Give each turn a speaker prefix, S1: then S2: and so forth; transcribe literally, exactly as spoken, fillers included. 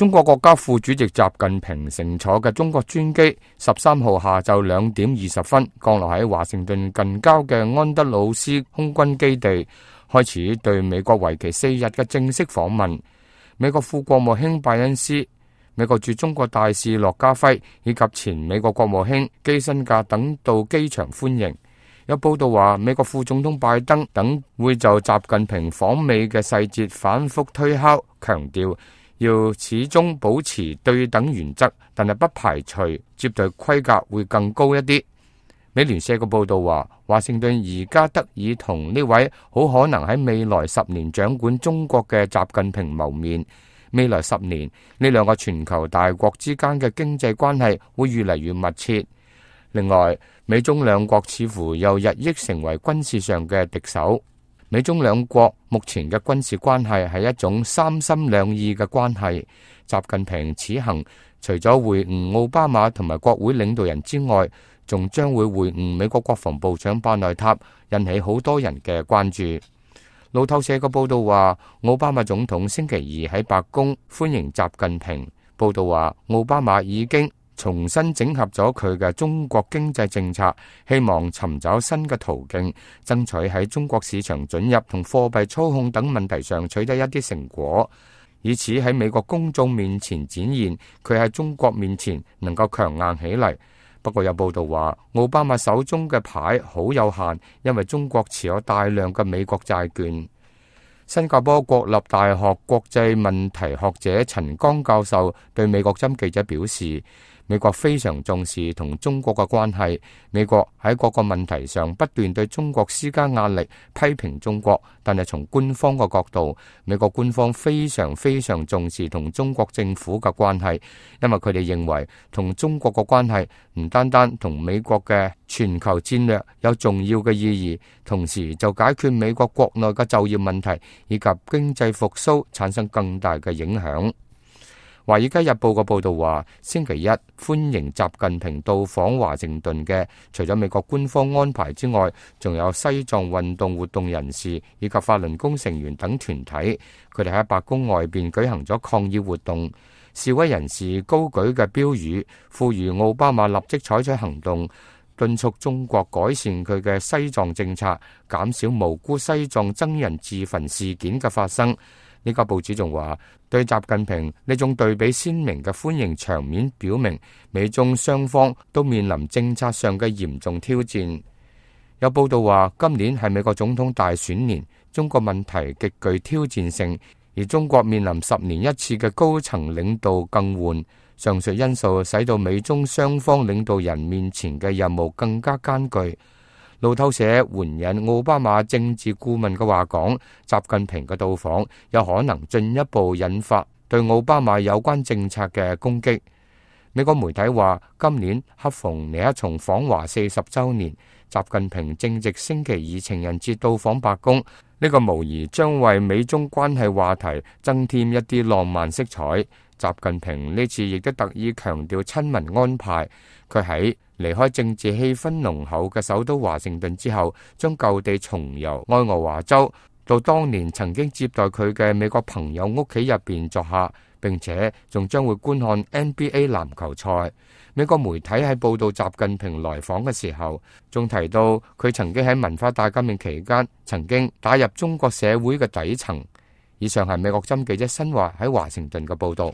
S1: 中國國家副主席習近平乘坐嘅中國專機十三號下晝兩點二十分降落喺華盛頓近郊嘅安德魯斯空軍基地，開始對美國為期四日嘅正式訪問。美國副國務卿拜恩斯、美國駐中國大使駱家輝以及前美國國務卿基辛格等到機場歡迎。有報道話，美國副總統拜登等會就習近平訪美嘅細節反覆推敲，強調要始終保持對等原則，但係不排除接待規格會更高一啲。美聯社嘅報道話，華盛頓而家得以同呢位好可能喺未來十年掌管中國嘅習近平謀面。未來十年，呢兩個全球大國之間嘅經濟關係會越嚟越密切。另外，美中兩國似乎又日益成為軍事上嘅敵手。美中兩國目前嘅軍事關係係一種三心兩意嘅關係。習近平此行除咗會晤奧巴馬同埋國會領導人之外，仲將會會晤美國國防部長巴內塔，引起好多人嘅關注。路透社嘅報道話，奧巴馬總統星期二喺白宮歡迎習近平。報道話，奧巴馬已經重新整合咗佢嘅中國經濟政策，希望尋找新嘅途徑，爭取喺中國市場准入同貨幣操控等問題上取得一啲成果，以此喺美國公眾面前展現佢喺中國面前能夠強硬起嚟。不過有報道話，奧巴馬手中嘅牌好有限，因為中國持有大量嘅美國債券。新加坡國立大學國際問題學者陳剛教授對美國針記者表示，美國非常重視同中國嘅關係，美國喺各個問題上不斷對中國施加壓力，批評中國，但係從官方嘅角度，美國官方非常非常重視同中國政府嘅關係，因為佢哋認為同中國嘅關係唔單單同美國嘅全球戰略有重要嘅意義，同時就解決美國國內嘅就業問題以及經濟復甦產生更大嘅影響。《華爾街日報》嘅報道話，星期一歡迎習近平到訪華盛頓嘅，除咗美國官方安排之外，仲有西藏運動活動人士以及法輪功成員等團體。佢哋喺白宮外邊舉行咗抗議活動，示威人士高舉嘅標語，呼籲奧巴馬立即採取行動，敦促中國改善佢嘅西藏政策，減少無辜西藏僧人自焚事件嘅發生。呢家報紙仲話，對習近平呢種對比鮮明嘅歡迎場面，表明美中雙方都面臨政策上嘅嚴重挑戰。有報道話，今年係美國總統大選年，中國問題極具挑戰性，而中國面臨十年一次嘅高層領導更換，上述因素使到美中雙方領導人面前嘅任務更加艱巨。路透社援引奧巴馬政治顧問嘅話講，習近平嘅到訪有可能進一步引發對奧巴馬有關政策嘅攻擊。美國媒體話，今年恰逢尼克松訪華四十週年，習近平正值星期二情人節到訪白宮，呢個無疑將為美中關係話題增添一啲浪漫色彩。習近平呢次亦都特意強調親民安排，佢喺離開政治氣氛濃厚嘅首都華盛頓之後，將舊地重遊愛荷華州，到當年曾經接待佢嘅美國朋友屋企入邊作客，並且仲將會觀看 N B A 籃球賽。美國媒體喺報道習近平來訪嘅時候，仲提到佢曾經喺文化大革命期間曾經打入中國社會嘅底層。以上係美國針記者新華喺華盛頓嘅報道。